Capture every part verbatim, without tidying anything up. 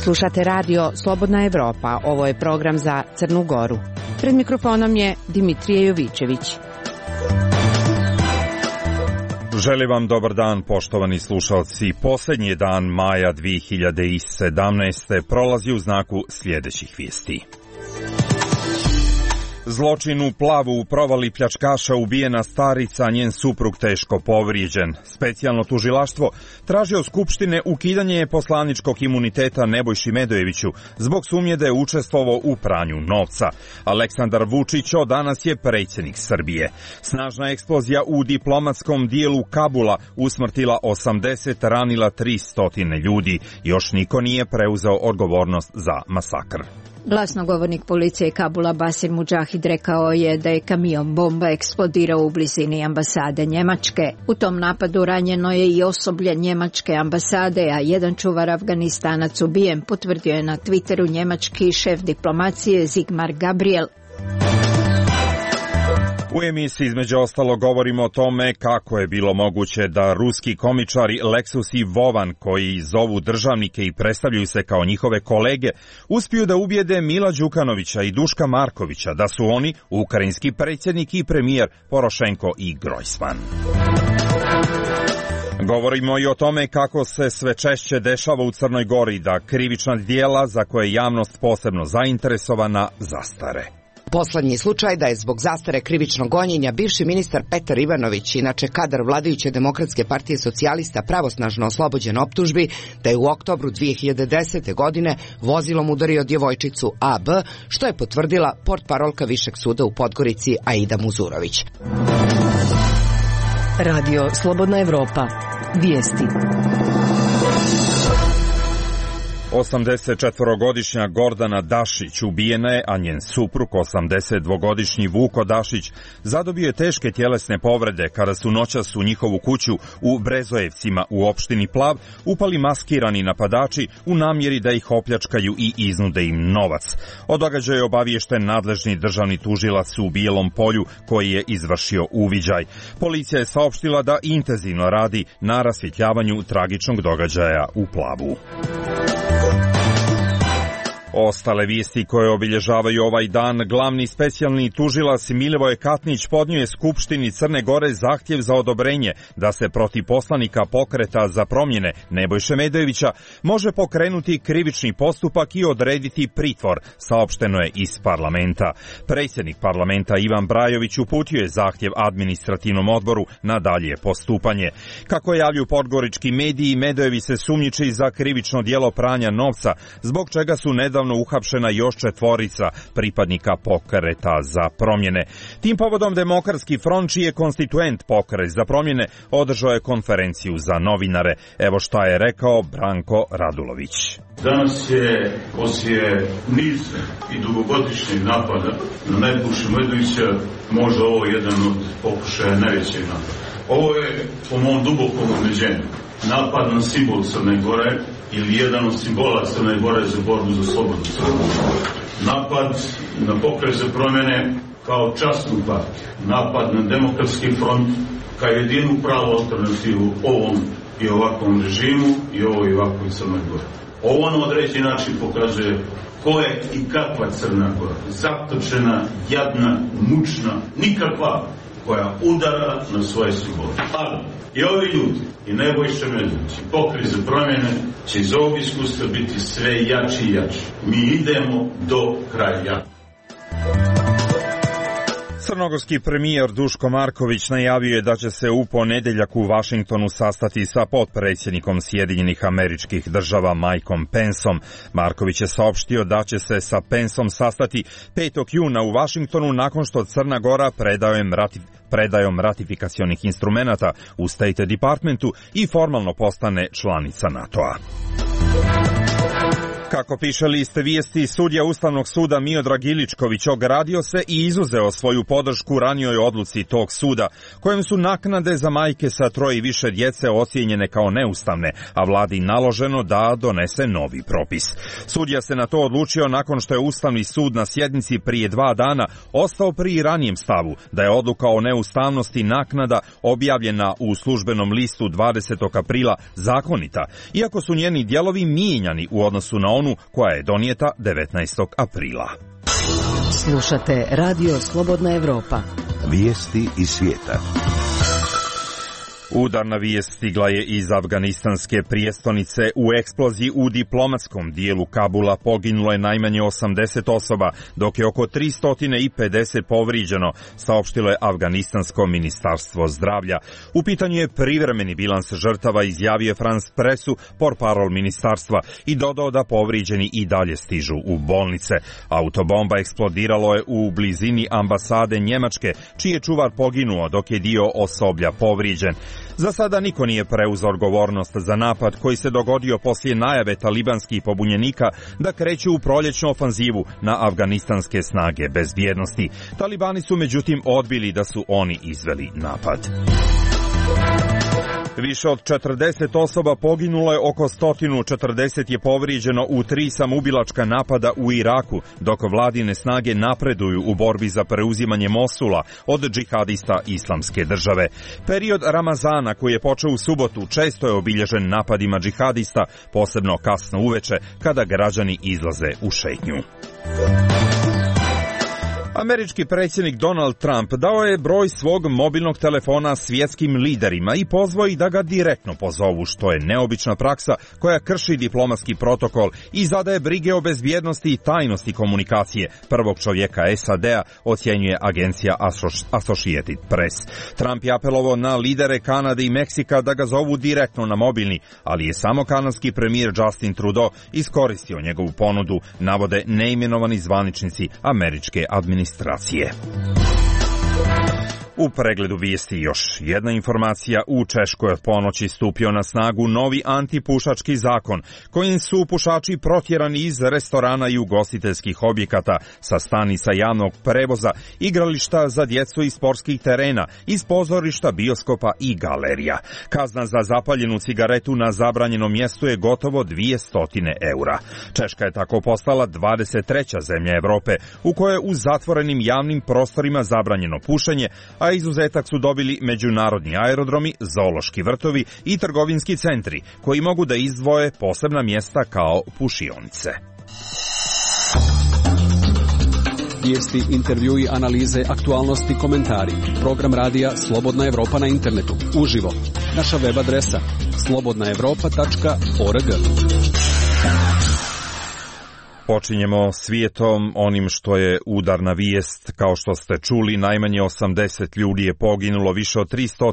Slušate radio Slobodna Evropa, ovo je program za Crnu Goru. Pred mikrofonom je Dimitrije Jovićević. Želim vam dobar dan, poštovani slušalci. Posljednji dan maja dvije hiljade sedamnaeste. prolazi u znaku sljedećih vijesti. Zločin u Plavu, u provali pljačkaša ubijena starica, njen suprug teško povrijeđen. Specijalno tužilaštvo traži od Skupštine ukidanje poslaničkog imuniteta Nebojši Medojeviću zbog sumnje da je učestvovao u pranju novca. Aleksandar Vučić od danas je predsjednik Srbije. Snažna eksplozija u diplomatskom dijelu Kabula usmrtila osamdeset, ranila tristo ljudi. Još niko nije preuzeo odgovornost za masakr. Glasnogovornik policije Kabula Basir Mudžahid rekao je da je kamion bomba eksplodirao u blizini ambasade Njemačke. U tom napadu ranjeno je i osoblje Njemačke ambasade, a jedan čuvar Afganistanac ubijen, potvrdio je na Twitteru njemački šef diplomacije Sigmar Gabriel. U emisiji između ostalo govorimo o tome kako je bilo moguće da ruski komičari Leksus i Vovan, koji zovu državnike i predstavljaju se kao njihove kolege, uspiju da ubijede Mila Đukanovića i Duška Markovića da su oni ukrajinski predsjednik i premijer Porošenko i Grojsman. Govorimo i o tome kako se sve češće dešava u Crnoj Gori da krivična djela za koje je javnost posebno zainteresovana zastare. Poslednji slučaj da je zbog zastare krivičnog gonjenja bivši ministar Petar Ivanović, inače kadar vladajuće Demokratske partije socijalista, pravosnažno oslobođen optužbi da je u oktobru dvije hiljade desete. godine vozilom udario djevojčicu A B, što je potvrdila portparolka Višeg suda u Podgorici Aida Muzurović. Radio Slobodna Evropa. Vijesti. osamdesetčetvorogodišnja Gordana Dašić ubijena je, a njen suprug, osamdesetdvogodišnji Vuko Dašić, zadobio je teške tjelesne povrede kada su noćas u njihovu kuću u Brezojevcima u opštini Plav upali maskirani napadači u namjeri da ih opljačkaju i iznude im novac. O događaju je obaviješten nadležni državni tužilac u Bijelom Polju koji je izvršio uviđaj. Policija je saopštila da intenzivno radi na rasvjetljavanju tragičnog događaja u Plavu. Ostale vijesti koje obilježavaju ovaj dan: glavni specijalni tužilac Milivoje Katnić podnio je Skupštini Crne Gore zahtjev za odobrenje da se protiv poslanika Pokreta za promjene Nebojše Medojevića može pokrenuti krivični postupak i odrediti pritvor, saopšteno je iz parlamenta. Predsjednik parlamenta Ivan Brajović uputio je zahtjev administrativnom odboru na dalje postupanje. Kako javljaju podgorički mediji, Medojević se sumnjiči za krivično djelo pranja novca, zbog čega su nedavno uhapšena još četvorica pripadnika Pokreta za promjene. Tim povodom Demokratski front, čiji je konstituent Pokret za promjene, održao je konferenciju za novinare. Evo šta je rekao Branko Radulović. Danas je poslije niza i dugogodišnjeg napada na Nebojšu Medojevića možda ovo jedan od pokušaja najvećeg napada. Ovo je, po mom dubokom ubeđenju, napad na simbol Crne Gore ili jedan od simbola Crne Gore za borbu za slobodnu Crnu Goru. Napad na Pokret za promjene kao časnu partiju. Napad na Demokratski front kao jedinu pravu alternativu ovom i ovakvom režimu i ovoj i ovakvoj Crnoj Gori. Ovo na određeni način pokazuje ko je i kakva Crna Gora. Zatočena, jadna, mučna, nikakva, koja udara na svoje simbole. Ali i ovi ljudi, i Nebojša Medojević, i Pokret za promjene, će iz ovog iskustva biti sve jači i jači. Mi idemo do kraja. Crnogorski premijer Duško Marković najavio je da će se u ponedjeljak u Vašingtonu sastati sa potpredsjednikom Sjedinjenih Američkih Država Mikeom Penceom. Marković je saopštio da će se sa Penceom sastati petog juna u Vašingtonu nakon što Crna Gora predajom ratif predajom ratifikacionih instrumenata u State Departmentu i formalno postane članica NATO-a. Kako piše list vijesti, sudija Ustavnog suda Miodrag Iličković ogradio se i izuzeo svoju podršku ranijoj odluci tog suda, kojem su naknade za majke sa troje i više djece ocijenjene kao neustavne, a vladi naloženo da donese novi propis. Sudija se na to odlučio nakon što je Ustavni sud na sjednici prije dva dana ostao pri ranijem stavu da je odluka o neustavnosti naknada objavljena u službenom listu dvadesetog aprila zakonita, iako su njeni dijelovi mijenjani u odnosu na onu koja je donijeta devetnaestog aprila. Slušate Radio Slobodna Evropa. Vijesti iz svijeta. Udarna vijest stigla je iz afganistanske prijestolnice. U eksploziji u diplomatskom dijelu Kabula poginulo je najmanje osamdeset osoba, dok je oko tristo pedeset povrijeđeno, saopštilo je afganistansko ministarstvo zdravlja. U pitanju je privremeni bilans žrtava, izjavio je France Pressu, portparol ministarstva, i dodao da povrijeđeni i dalje stižu u bolnice. Autobomba eksplodiralo je u blizini ambasade Njemačke, čiji je čuvar poginuo, dok je dio osoblja povrijeđen. Za sada niko nije preuzeo odgovornost za napad koji se dogodio poslije najave talibanskih pobunjenika da kreću u proljećnu ofanzivu na afganistanske snage bezbjednosti. Talibani su međutim odbili da su oni izveli napad. Više od četrdeset osoba poginulo je, oko sto četrdeset je povrijeđeno u tri samoubilačka napada u Iraku, dok vladine snage napreduju u borbi za preuzimanje Mosula od džihadista Islamske države. Period Ramazana, koji je počeo u subotu, često je obilježen napadima džihadista, posebno kasno uveče kada građani izlaze u šetnju. Američki predsjednik Donald Trump dao je broj svog mobilnog telefona svjetskim liderima i pozvao ih da ga direktno pozovu, što je neobična praksa koja krši diplomatski protokol i zadaje brige o bezbjednosti i tajnosti komunikacije prvog čovjeka S A D-a, ocjenjuje agencija Associated Press. Trump je apelovao na lidere Kanade i Meksika da ga zovu direktno na mobilni, ali je samo kanadski premijer Justin Trudeau iskoristio njegovu ponudu, navode neimenovani zvaničnici američke administracije. U pregledu vijesti još jedna informacija. U Češkoj od ponoći stupio na snagu novi antipušački zakon, kojim su pušači protjerani iz restorana i ugostiteljskih objekata, sa stanica javnog prevoza, igrališta za djecu i sportskih terena, iz pozorišta, bioskopa i galerija. Kazna za zapaljenu cigaretu na zabranjenom mjestu je gotovo dvjesto eura. Češka je tako postala dvadeset treća zemlja Europe u kojoj je u zatvorenim javnim prostorima zabranjeno pušenje, a izuzetak su dobili međunarodni aerodromi, zoološki vrtovi i trgovinski centri, koji mogu da izdvoje posebna mjesta kao pušionice. Vijesti, intervjui, analize, aktualnosti, komentari. Program radija Slobodna Evropa na internetu. Uživo. Naša web adresa slobodna evropa tačka org. Počinjemo svijetom, onim što je udarna vijest. Kao što ste čuli, najmanje osamdeset ljudi je poginulo, više od tristo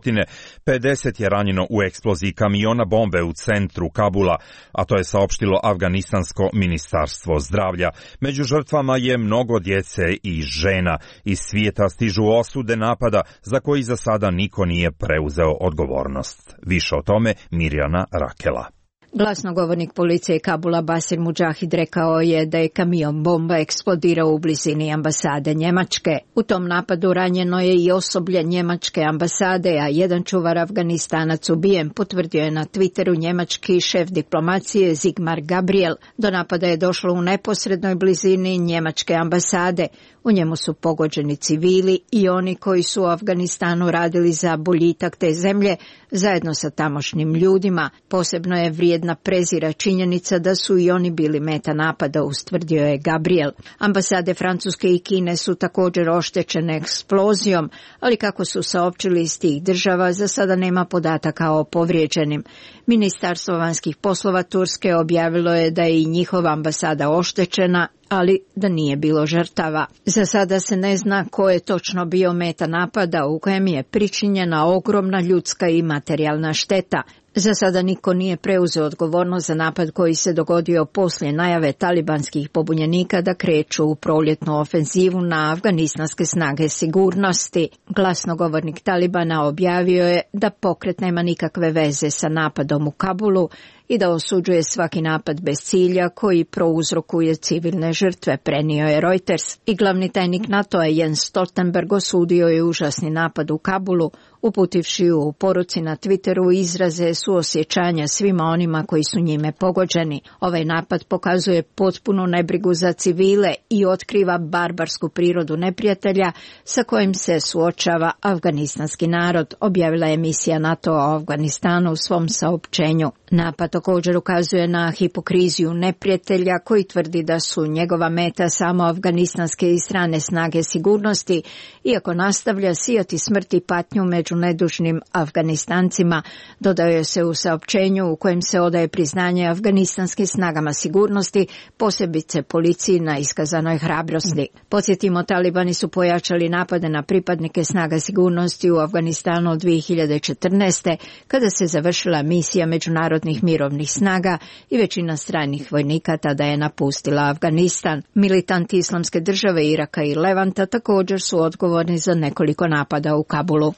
pedeset je ranjeno u eksploziji kamiona bombe u centru Kabula, a to je saopštilo afganistansko ministarstvo zdravlja. Među žrtvama je mnogo djece i žena. Iz svijeta stižu osude napada za koji za sada niko nije preuzeo odgovornost. Više o tome Mirjana Rakela. Glasnogovornik policije Kabula Basir Mudžahid rekao je da je kamion bomba eksplodirao u blizini ambasade Njemačke. U tom napadu ranjeno je i osoblje njemačke ambasade, a jedan čuvar Afganistanac ubijen, potvrdio je na Twitteru njemački šef diplomacije Sigmar Gabriel. Do napada je došlo u neposrednoj blizini njemačke ambasade. U njemu su pogođeni civili i oni koji su u Afganistanu radili za boljitak te zemlje zajedno sa tamošnjim ljudima. Posebno je vrijedna prezira činjenica da su i oni bili meta napada, ustvrdio je Gabriel. Ambasade Francuske i Kine su također oštećene eksplozijom, ali kako su saopćili iz tih država, za sada nema podataka o povrijeđenim. Ministarstvo vanjskih poslova Turske objavilo je da je i njihova ambasada oštećena, ali da nije bilo žrtava. Za sada se ne zna ko je točno bio meta napada u kojem je pričinjena ogromna ljudska i materijalna šteta. Za sada niko nije preuzeo odgovornost za napad koji se dogodio poslije najave talibanskih pobunjenika da kreću u proljetnu ofenzivu na afganistanske snage sigurnosti. Glasnogovornik Talibana objavio je da pokret nema nikakve veze sa napadom u Kabulu i da osuđuje svaki napad bez cilja koji prouzrokuje civilne žrtve, prenio je Reuters. I glavni tajnik NATO-a Jens Stoltenberg osudio je užasni napad u Kabulu, uputivši u poruci na Twitteru izraze suosjećanja svima onima koji su njime pogođeni. Ovaj napad pokazuje potpunu nebrigu za civile i otkriva barbarsku prirodu neprijatelja sa kojim se suočava afganistanski narod, objavila je misija NATO o Afganistanu u svom saopćenju. Napad također ukazuje na hipokriziju neprijatelja koji tvrdi da su njegova meta samo afganistanske i strane snage sigurnosti, iako nastavlja sijati smrt i patnju među nedužnim Afganistancima, dodaje se u saopćenju u kojem se odaje priznanje afganistanskim snagama sigurnosti, posebice policiji na iskazanoj hrabrosti. Podsjetimo, talibani su pojačali napade na pripadnike snaga sigurnosti u Afganistanu od dvije hiljade četrnaeste. kada se završila misija međunarodnih mirovnih snaga i većina stranih vojnika tada je napustila Afganistan. Militanti Islamske države, Iraka i Levanta također su odgovorni za nekoliko napada u Kabulu.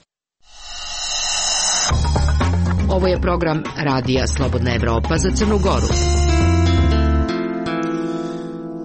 Ovo je program Radija Slobodna Evropa za Crnu Goru.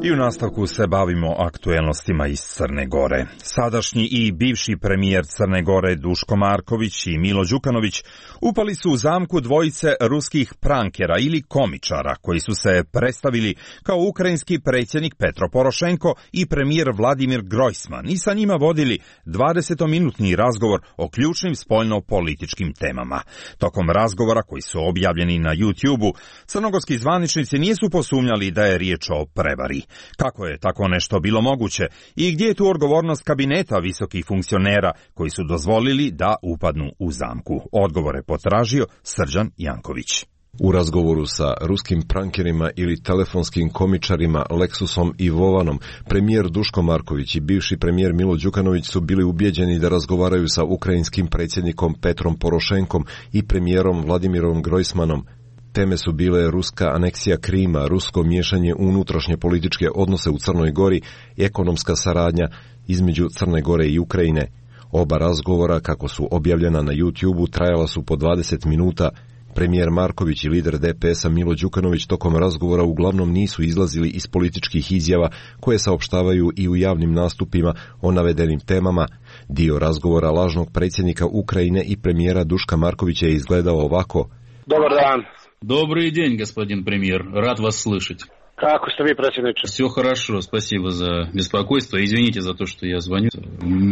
I u nastavku se bavimo aktuelnostima iz Crne Gore. Sadašnji i bivši premijer Crne Gore Duško Marković i Milo Đukanović upali su u zamku dvojice ruskih prankera ili komičara koji su se predstavili kao ukrajinski predsjednik Petro Porošenko i premijer Vladimir Grojsman i sa njima vodili dvadesetominutni razgovor o ključnim spoljno-političkim temama. Tokom razgovora, koji su objavljeni na YouTube-u, crnogorski zvaničnici nisu posumnjali da je riječ o prevari. Kako je tako nešto bilo moguće i gdje je tu odgovornost kabineta visokih funkcionera koji su dozvolili da upadnu u zamku? Odgovore potražio Srđan Janković. U razgovoru sa ruskim prankerima ili telefonskim komičarima Leksusom i Vovanom, premijer Duško Marković i bivši premijer Milo Đukanović su bili ubijeđeni da razgovaraju sa ukrajinskim predsjednikom Petrom Porošenkom i premijerom Vladimirom Grojsmanom. Teme su bile ruska aneksija Krima, rusko miješanje u unutrašnje političke odnose u Crnoj Gori i ekonomska saradnja između Crne Gore i Ukrajine. Oba razgovora, kako su objavljena na YouTube-u, trajala su po dvadeset minuta. Premijer Marković i lider D P S-a Milo Đukanović tokom razgovora uglavnom nisu izlazili iz političkih izjava koje saopštavaju i u javnim nastupima o navedenim temama. Dio razgovora lažnog predsjednika Ukrajine i premijera Duška Markovića je izgledao ovako. Dobar dan. Добрый день, господин премьер. Рад вас слышать. Kako ste vi, predsjedniče? Все хорошо, спасибо за беспокойство. Извините за то, что я звоню.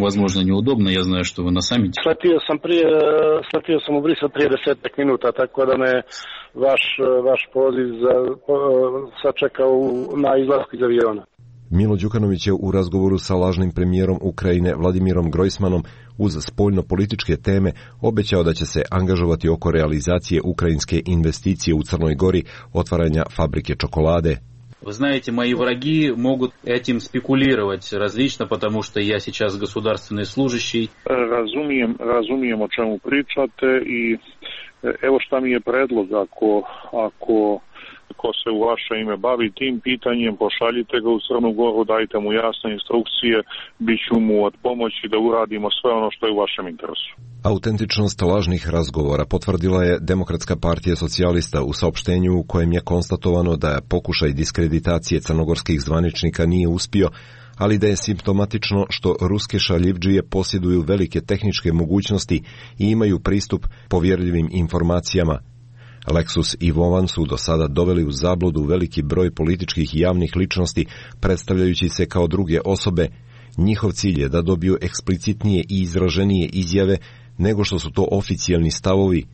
Возможно, неудобно, я знаю, что вы на саммите. Sletio sam prije, sletio sam u Brisel prije desetak minuta, tako da me vaš, vaš poziv za, sačekao na izlasku iz aviona. Milo Đukanović je u razgovoru sa lažnim premijerom Ukrajine Vladimirom Grojsmanom uz spoljno-političke teme obećao da će se angažovati oko realizacije ukrajinske investicije u Crnoj Gori, otvaranja fabrike čokolade. Вы знаете, мои враги могут этим спекулировать различно, потому что я сейчас государственный служащий. Razumijem, razumijem o čemu pričate i evo šta mi je predlog, ako, ako ko se u vaše ime bavi tim pitanjem, pošaljite ga u Crnu Goru, dajte mu jasne instrukcije, bit ću mu od pomoći da uradimo sve ono što je u vašem interesu. Autentičnost lažnih razgovora potvrdila je Demokratska partija socijalista u saopštenju u kojem je konstatovano da pokušaj diskreditacije crnogorskih zvaničnika nije uspio, ali da je simptomatično što ruske šaljivdžije posjeduju velike tehničke mogućnosti i imaju pristup povjerljivim informacijama. Leksus i Vovan su do sada doveli u zabludu veliki broj političkih i javnih ličnosti, predstavljajući se kao druge osobe. Njihov cilj je da dobiju eksplicitnije i izraženije izjave nego što su to oficijalni stavovi.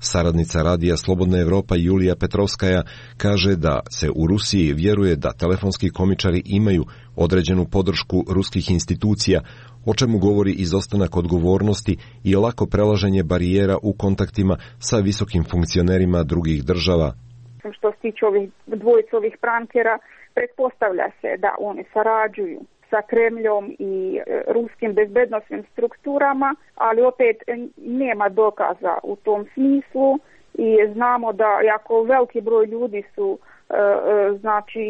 Saradnica radija Slobodna Evropa Julija Petrovskaja kaže da se u Rusiji vjeruje da telefonski komičari imaju određenu podršku ruskih institucija, o čemu govori izostanak odgovornosti i lako prelaženje barijera u kontaktima sa visokim funkcionerima drugih država. Što se tiče ovih dvojice ovih prankera, pretpostavlja se da oni sarađuju sa Kremljom i ruskim bezbednosnim strukturama, ali opet nema dokaza u tom smislu i znamo da jako veliki broj ljudi su, znači,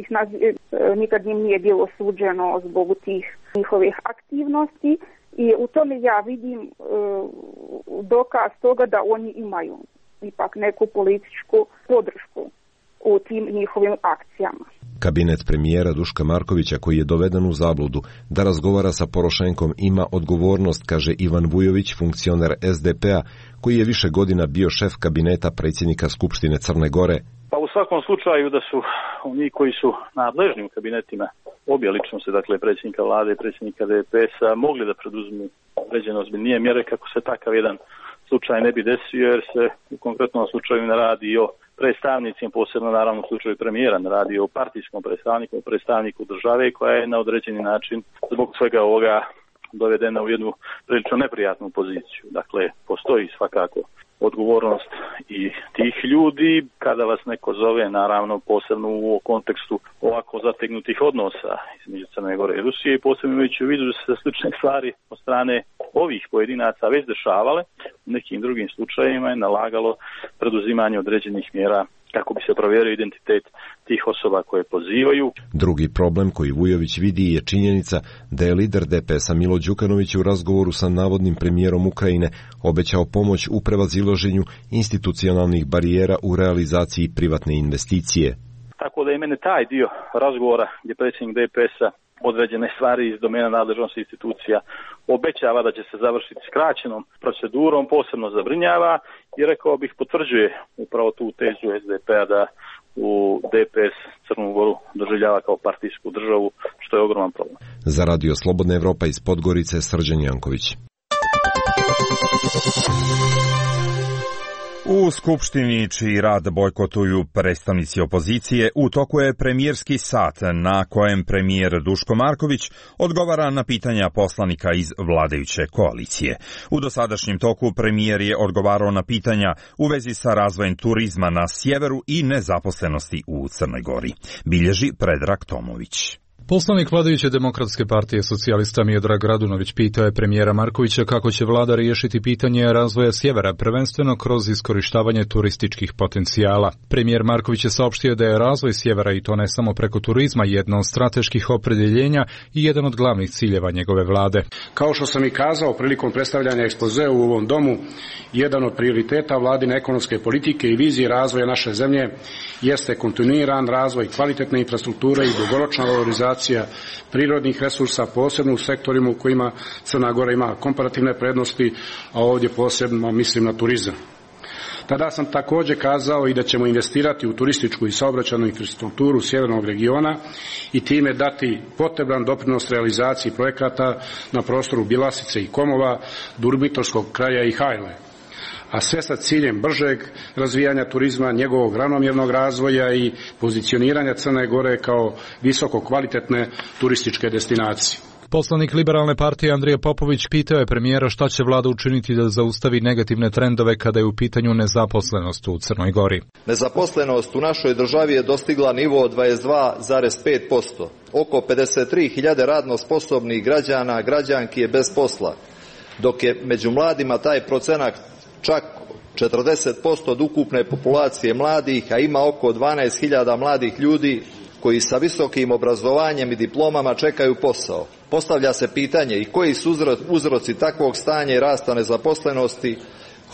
nikad im nije bilo suđeno zbog tih njihovih aktivnosti i u tome ja vidim dokaz toga da oni imaju ipak neku političku podršku. u tim njihovim akcijama. Kabinet premijera Duška Markovića, koji je doveden u zabludu da razgovara sa Porošenkom, ima odgovornost, kaže Ivan Vujović, funkcioner S D P-a, koji je više godina bio šef kabineta predsjednika Skupštine Crne Gore. Pa u svakom slučaju da su oni koji su nadležni u kabinetima obje ličnosti, dakle predsjednika vlade i predsjednika D P S-a, mogli da preduzmu određene ozbiljnije mjere kako se takav jedan slučaj ne bi desio, jer se u konkretnom slučaju ne radi o predstavnicima, posebno naravno u slučaju premijera, ne radi o partijskom predstavniku, o predstavniku države koja je na određeni način zbog svega ovoga dovedena u jednu prilično neprijatnu poziciju. Dakle, postoji svakako odgovornost i tih ljudi kada vas neko zove, naravno posebno u kontekstu ovako zategnutih odnosa između Crne Gore i Rusije i posebno imajući u vidu da se slične stvari od strane ovih pojedinaca već dešavale, u nekim drugim slučajevima je nalagalo preduzimanje određenih mjera kako bi se provjerio identitet tih osoba koje pozivaju. Drugi problem koji Vujović vidi je činjenica da je lider D P S-a Milo Đukanović u razgovoru sa navodnim premijerom Ukrajine obećao pomoć u prevazilaženju institucionalnih barijera u realizaciji privatne investicije. Tako da je mene taj dio razgovora gdje predsjednik D P S-a određene stvari iz domena nadležnosti institucija obećava da će se završiti skraćenom procedurom, posebno zabrinjava i rekao bih potvrđuje upravo tu tezu S D P-a da u D P S Crnu Goru doživljava kao partijsku državu, što je ogroman problem. Za Radio Slobodna Evropa iz Podgorice, Srđan Janković. U Skupštini, čiji rad bojkotuju predstavnici opozicije, u toku je premijerski sat na kojem premijer Duško Marković odgovara na pitanja poslanika iz vladajuće koalicije. U dosadašnjem toku premijer je odgovarao na pitanja u vezi sa razvojem turizma na sjeveru i nezaposlenosti u Crnoj Gori. Bilježi Predrag Tomović. Poslanik vladajuće Demokratske partije socijalista Miodrag Radunović pitao je premijera Markovića kako će vlada riješiti pitanje razvoja sjevera, prvenstveno kroz iskorištavanje turističkih potencijala. Premijer Marković je saopštio da je razvoj sjevera, i to ne samo preko turizma, jedno od strateških opredjeljenja i jedan od glavnih ciljeva njegove vlade. Kao što sam i kazao prilikom predstavljanja ekspozea u ovom domu, jedan od prioriteta vladine ekonomske politike i vizije razvoja naše zemlje jeste kontinuiran razvoj kvalitetne infrastrukture i dugoročna valorizacija prirodnih resursa, posebno u sektorima u kojima Crna Gora ima komparativne prednosti, a ovdje posebno mislim na turizam. Tada sam također kazao i da ćemo investirati u turističku i saobraćajnu infrastrukturu sjevernog regiona i time dati potreban doprinos realizaciji projekata na prostoru Bjelasice i Komova, Durbitorskog kraja i Hajle, a sve sa ciljem bržeg razvijanja turizma, njegovog ravnomjernog razvoja i pozicioniranja Crne Gore kao visoko kvalitetne turističke destinacije. Poslanik Liberalne partije Andrija Popović pitao je premijera šta će vlada učiniti da zaustavi negativne trendove kada je u pitanju nezaposlenost u Crnoj Gori. Nezaposlenost u našoj državi je dostigla nivo dvadeset dva zarez pet posto. Oko pedeset tri hiljade radno sposobnih građana, građanki je bez posla, dok je među mladima taj procenat čak četrdeset posto od ukupne populacije mladih, a ima oko dvanaest hiljada mladih ljudi koji sa visokim obrazovanjem i diplomama čekaju posao. Postavlja se pitanje i koji su uzroci takvog stanja i rasta nezaposlenosti,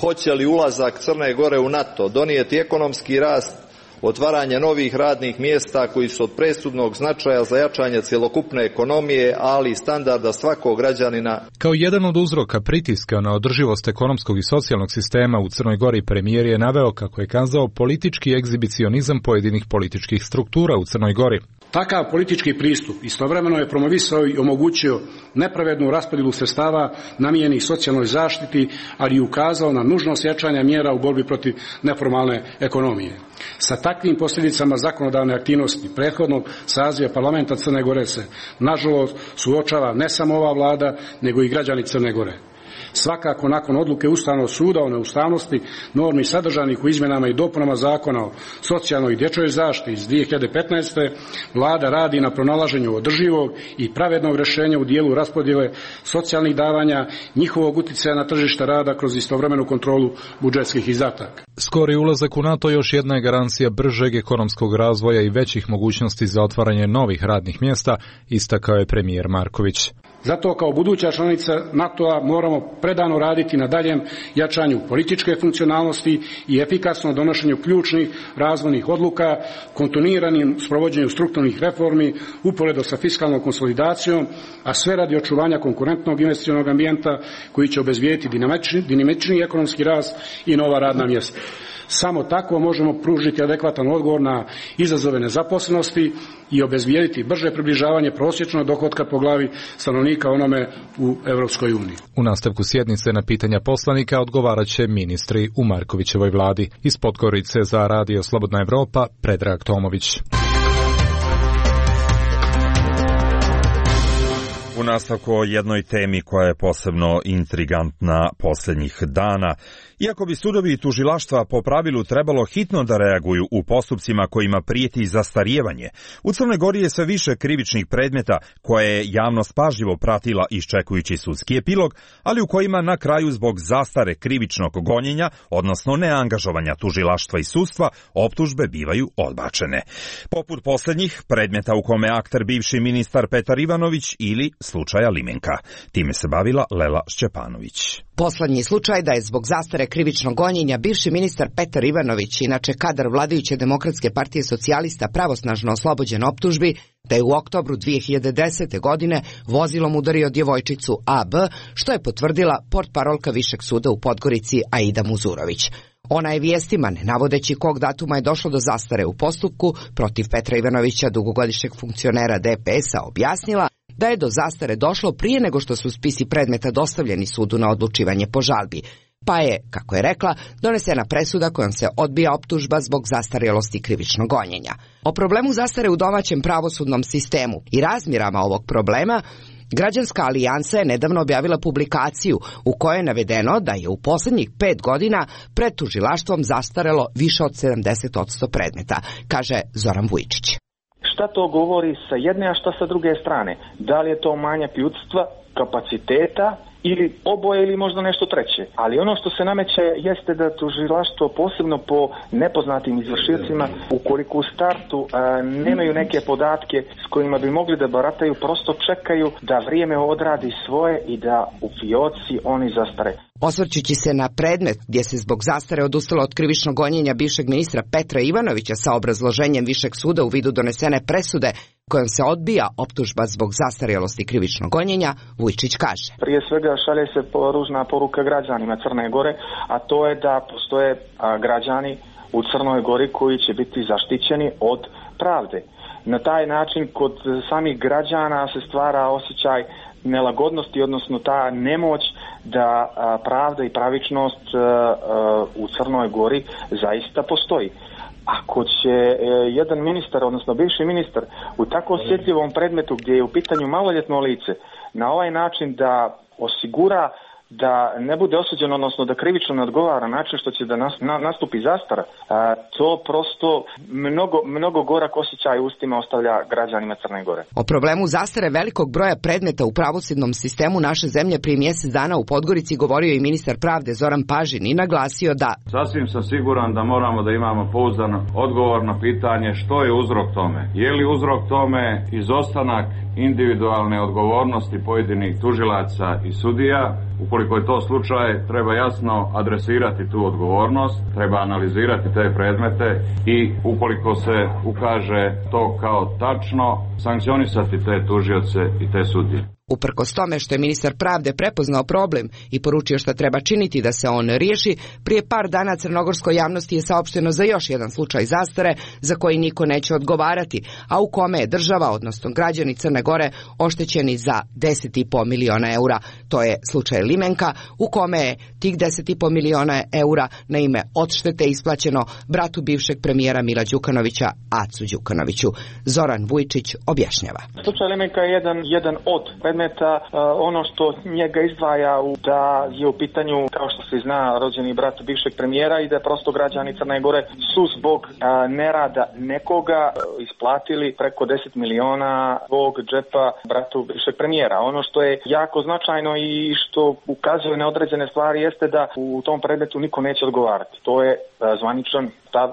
hoće li ulazak Crne Gore u NATO donijeti ekonomski rast, otvaranje novih radnih mjesta koji su od presudnog značaja za jačanje cjelokupne ekonomije, ali i standarda svakog građanina. Kao jedan od uzroka pritiska na održivost ekonomskog i socijalnog sistema u Crnoj Gori, premijer je naveo, kako je kazao, politički egzibicionizam pojedinih političkih struktura u Crnoj Gori. Takav politički pristup istovremeno je promovisao i omogućio nepravednu raspodjelu sredstava namijenjenih socijalnoj zaštiti, ali i ukazao na nužnost jačanja mjera u borbi protiv neformalne ekonomije. Sa takvim posljedicama zakonodavne aktivnosti prethodnog saziva parlamenta Crne Gore se, nažalost, suočava ne samo ova vlada, nego i građani Crne Gore. Svakako, nakon odluke Ustavnog suda o neustavnosti normi sadržanih u izmjenama i dopunama Zakona o socijalnoj i dječjoj zaštiti iz dvije hiljade petnaeste. vlada radi na pronalaženju održivog i pravednog rješenja u dijelu raspodjele socijalnih davanja, njihovog utjecaja na tržište rada kroz istovremenu kontrolu budžetskih izdataka. Skori ulazak u NATO još jedna je garancija bržeg ekonomskog razvoja i većih mogućnosti za otvaranje novih radnih mjesta, istakao je premijer Marković. Zato kao buduća članica NATO-a moramo predano raditi na daljem jačanju političke funkcionalnosti i efikasnom donošenju ključnih razvojnih odluka, kontinuiranim sprovođenju strukturnih reformi, uporedo sa fiskalnom konsolidacijom, a sve radi očuvanja konkurentnog investicionog ambijenta koji će obezbijediti dinamični, dinamični ekonomski rast i nova radna mjesta. Samo tako možemo pružiti adekvatan odgovor na izazove nezaposlenosti i obezbijediti brže približavanje prosječnog dohotka po glavi stanovnika onome u Europskoj uniji. U nastavku sjednice na pitanja poslanika odgovarat će ministri u Markovićevoj vladi. Iz Podgorice za Radio Slobodna Evropa, Predrag Tomović. U nastavku o jednoj temi koja je posebno intrigantna posljednjih dana. Iako bi sudovi i tužilaštva po pravilu trebalo hitno da reaguju u postupcima kojima prijeti zastarijevanje, u Crnoj Gori je sve više krivičnih predmeta koje je javnost pažljivo pratila iščekujući sudski epilog, ali u kojima na kraju zbog zastare krivičnog gonjenja, odnosno neangažovanja tužilaštva i sudstva, optužbe bivaju odbačene. Poput posljednjih predmeta u kome akter bivši ministar Petar Ivanović ili slučaja Limenka. Time se bavila Lela Šćepanović. Poslednji slučaj da je zbog zastare krivičnog gonjenja bivši ministar Petar Ivanović, inače kadar vladajuće Demokratske partije socijalista, pravosnažno oslobođen optužbi da je u oktobru dvije hiljade desete. godine vozilom udario djevojčicu A B, što je potvrdila portparolka Višeg suda u Podgorici Aida Muzurović. Ona je vijestima, ne navodeći kog datuma je došlo do zastare u postupku protiv Petra Ivanovića, dugogodišnjeg funkcionera D P S-a, objasnila da je do zastare došlo prije nego što su spisi predmeta dostavljeni sudu na odlučivanje po žalbi, pa je, kako je rekla, donesena presuda kojom se odbija optužba zbog zastarjelosti krivičnog gonjenja. O problemu zastare u domaćem pravosudnom sistemu i razmjerama ovog problema Građanska alijansa je nedavno objavila publikaciju u kojoj je navedeno da je u posljednjih pet godina pred tužilaštvom zastarelo više od sedamdeset posto predmeta, kaže Zoran Vujčić. Šta to govori sa jedne, a šta sa druge strane? Da li je to manjak ljudstva, kapaciteta ili oboje ili možda nešto treće? Ali ono što se nameće jeste da tužilaštvo, posebno po nepoznatim izvršiocima, ukoliko u startu a, nemaju neke podatke s kojima bi mogli da barataju, prosto čekaju da vrijeme odradi svoje i da u fioci oni zastare. Osvrćući se na predmet gdje se zbog zastare odustalo od krivičnog gonjenja bivšeg ministra Petra Ivanovića sa obrazloženjem Višeg suda u vidu donesene presude kojom se odbija optužba zbog zastarjelosti krivičnog gonjenja, Vujčić kaže. Prije svega šalje se ružna poruka građanima Crne Gore, a to je da postoje građani u Crnoj Gori koji će biti zaštićeni od pravde. Na taj način kod samih građana se stvara osjećaj nelagodnosti, odnosno ta nemoć da pravda i pravičnost u Crnoj Gori zaista postoji. Ako će jedan ministar, odnosno bivši ministar, u tako osjetljivom predmetu gdje je u pitanju maloljetno lice, na ovaj način da osigura da ne bude osuđen, odnosno da krivično ne odgovara način što će da nas, na, nastupi zastara, a, to prosto mnogo, mnogo gorak osjećaj ustima ostavlja građanima Crne Gore. O problemu zastare velikog broja predmeta u pravosudnom sistemu naše zemlje prije mjesec dana u Podgorici govorio i ministar pravde Zoran Pažin i naglasio da sasvim sam siguran da moramo da imamo pouzdan odgovor na pitanje što je uzrok tome. Je li uzrok tome izostanak individualne odgovornosti pojedinih tužilaca i sudija? Ukoliko je to slučaj, treba jasno adresirati tu odgovornost, treba analizirati te predmete i ukoliko se ukaže to kao tačno, sankcionisati te tužioce i te sudije. Uprkos tome što je ministar pravde prepoznao problem i poručio šta treba činiti da se on riješi, prije par dana crnogorskoj javnosti je saopšteno za još jedan slučaj zastare za koji niko neće odgovarati, a u kome je država, odnosno građani Crne Gore, oštećeni za deset i po miliona eura. To je slučaj Limenka, u kome je tih deset i po miliona eura na ime odštete isplaćeno bratu bivšeg premijera Mila Đukanovića, Acu Đukanoviću. Zoran Vujčić objašnjava. Slučaj Limenka je jedan, jedan od predmeta, ono što njega izdvaja u da je u pitanju, kao što se zna, rođeni brat bivšeg premijera i da prosto građani Crne Gore su zbog nerada nekoga isplatili preko deset miliona zbog džepa bratu bivšeg premijera. Ono što je jako značajno i što ukazuje na određene stvari jeste da u tom predmetu niko neće odgovarati. To je zvaničan stav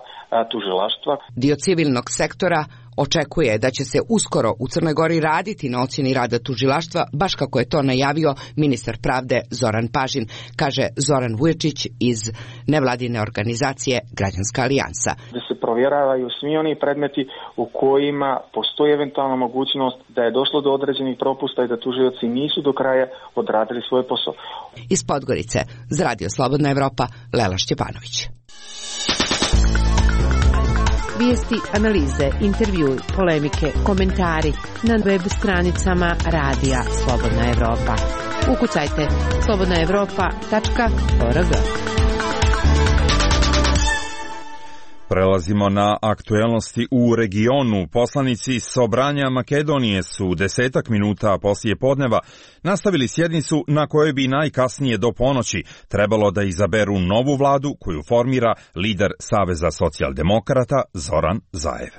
tužilaštva. Dio civilnog sektora očekuje da će se uskoro u Crnoj Gori raditi na ocjeni rada tužilaštva, baš kako je to najavio ministar pravde Zoran Pažin, kaže Zoran Vuječić iz nevladine organizacije Građanska alijansa. Da se provjeravaju svi oni predmeti u kojima postoji eventualna mogućnost da je došlo do određenih propusta i da tužioci nisu do kraja odradili svoj posao. Iz Podgorice, za Radio Slobodna Evropa, Lela Šćepanović. Vijesti, analize, intervjui, polemike, komentari na web stranicama Radija Slobodna Evropa. Ukucajte slobodna evropa tačka org. Prelazimo na aktuelnosti u regionu. Poslanici Sobranja Makedonije su desetak minuta poslije podneva nastavili sjednicu na kojoj bi najkasnije do ponoći trebalo da izaberu novu vladu koju formira lider Saveza socijaldemokrata Zoran Zaev.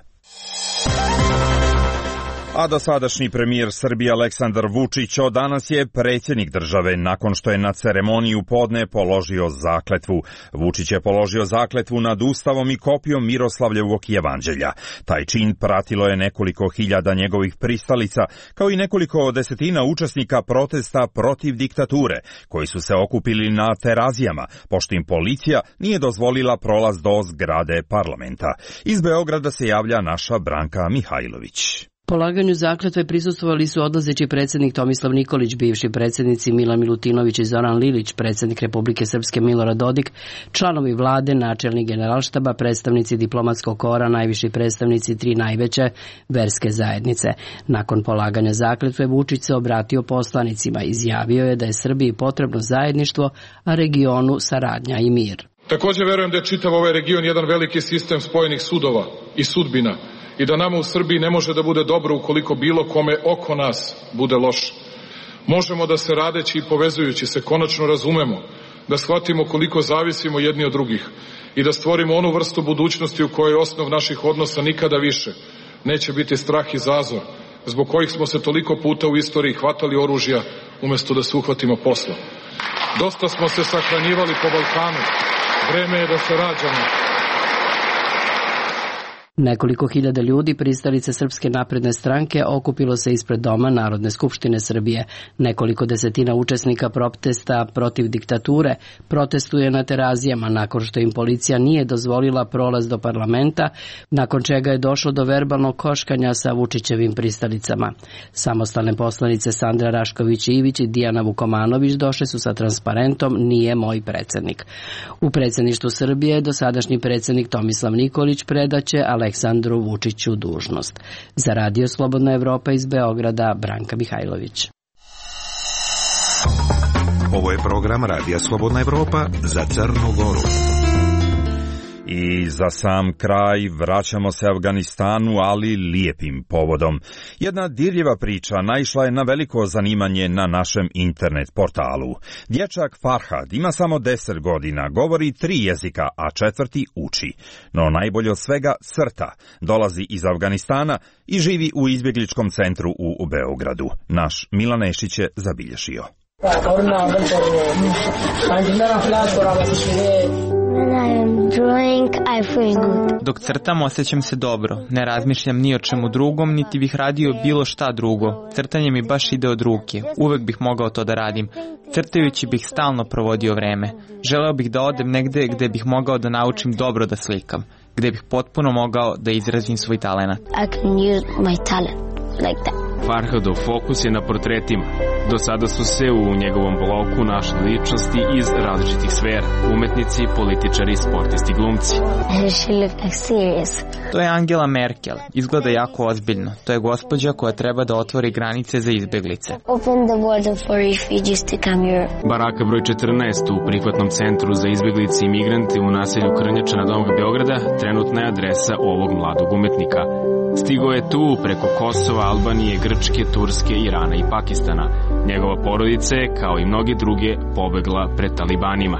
A dosadašnji premijer Srbije Aleksandar Vučić od danas je predsjednik države nakon što je na ceremoniju podne položio zakletvu. Vučić je položio zakletvu nad Ustavom i kopijom Miroslavljevog jevanđelja. Taj čin pratilo je nekoliko hiljada njegovih pristalica, kao i nekoliko desetina učesnika protesta protiv diktature, koji su se okupili na Terazijama, pošto im policija nije dozvolila prolaz do zgrade parlamenta. Iz Beograda se javlja naša Branka Mihajlović. Polaganju zakletve prisustvovali su odlazeći predsjednik Tomislav Nikolić, bivši predsjednici Milan Milutinović i Zoran Lilić, predsjednik Republike Srpske Milorad Dodik, članovi vlade, načelnik generalštaba, predstavnici diplomatskog kora, najviši predstavnici tri najveće verske zajednice. Nakon polaganja zakletve Vučić se obratio poslanicima, izjavio je da je Srbiji potrebno zajedništvo, a regionu saradnja i mir. Također verujem da je čitav ovaj region jedan veliki sistem spojenih sudova i sudbina, i da nama u Srbiji ne može da bude dobro ukoliko bilo kome oko nas bude loše. Možemo da se radeći i povezujući se konačno razumemo, da shvatimo koliko zavisimo jedni od drugih i da stvorimo onu vrstu budućnosti u kojoj osnov naših odnosa nikada više neće biti strah i zazor, zbog kojih smo se toliko puta u istoriji hvatali oružja umjesto da se uhvatimo posla. Dosta smo se sahranjivali po Balkanu, vreme je da se rađamo. Nekoliko hiljada ljudi, pristalice Srpske napredne stranke, okupilo se ispred doma Narodne skupštine Srbije. Nekoliko desetina učesnika protesta protiv diktature protestuje na Terazijama nakon što im policija nije dozvolila prolaz do parlamenta, nakon čega je došlo do verbalnog koškanja sa Vučićevim pristalicama. Samostalne poslanice Sandra Rašković-Ivić i Dijana Vukomanović došle su sa transparentom "Nije moj predsjednik". U predsjedništvu Srbije dosadašnji predsjednik Tomislav Nikolić predaće Aleksandru Vučiću dužnost. Za Radio Slobodna Evropa iz Beograda, Branka Mihajlović. Ovo je program Radija Slobodna Evropa za Crnu Goru. I za sam kraj vraćamo se Afganistanu, ali lijepim povodom. Jedna dirljiva priča naišla je na veliko zanimanje na našem internet portalu. Dječak Farhad ima samo deset godina, govori tri jezika, a četvrti uči. No najbolje od svega crta. Dolazi iz Afganistana i živi u izbjegličkom centru u Beogradu. Naš Milan Nešić je zabilješio. Dok crtam osjećam se dobro, ne razmišljam ni o čemu drugom, niti bih radio bilo šta drugo. Crtanje mi baš ide od ruke, uvek bih mogao to da radim. Crtajući bih stalno provodio vreme. Želeo bih da odem negde gde bih mogao da naučim dobro da slikam, gde bih potpuno mogao da izrazim svoj talenat. I can use my talent like that. Farhadov fokus je na portretima. Do sada su se u njegovom bloku našli ličnosti iz različitih sfera. Umetnici, političari, sportisti, glumci. She look serious. To je Angela Merkel. Izgleda jako ozbiljno. To je gospođa koja treba da otvori granice za izbjeglice. Open the border for refugees to come here. Baraka broj četrnaest u prihvatnom centru za izbjeglice i migrante u naselju Krnjača na Domu Beograda trenutna je adresa ovog mladog umetnika. Stigo je tu preko Kosova, Albanije, Grčke, Turske, Irana i Pakistana. Njegova porodica je, kao i mnogi druge, pobegla pred talibanima.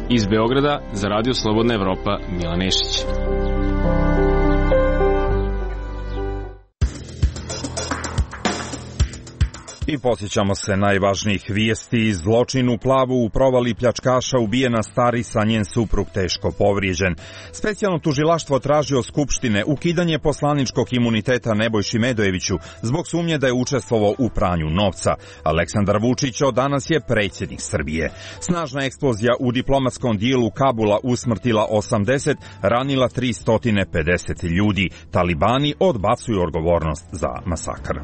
Iz Beograda, za Radio Slobodna Evropa, Milan Nešić. I posjećamo se najvažnijih vijesti. Zločin u Plavu u provali pljačkaša ubijena Starisa, njen suprug teško povrijeđen. Specijalno tužilaštvo traži od Skupštine ukidanje poslaničkog imuniteta Nebojši Medojeviću zbog sumnje da je učestvovao u pranju novca. Aleksandar Vučić od danas je predsjednik Srbije. Snažna eksplozija u diplomatskom dijelu Kabula usmrtila osamdeset, ranila tristo pedeset ljudi. Talibani odbacuju odgovornost za masakr.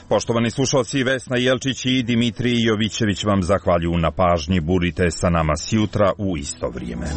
Poštovani slušalci, Vesna Jelčić i Dimitrij Jovićević vam zahvaljuju na pažnji. Budite sa nama sjutra u isto vrijeme.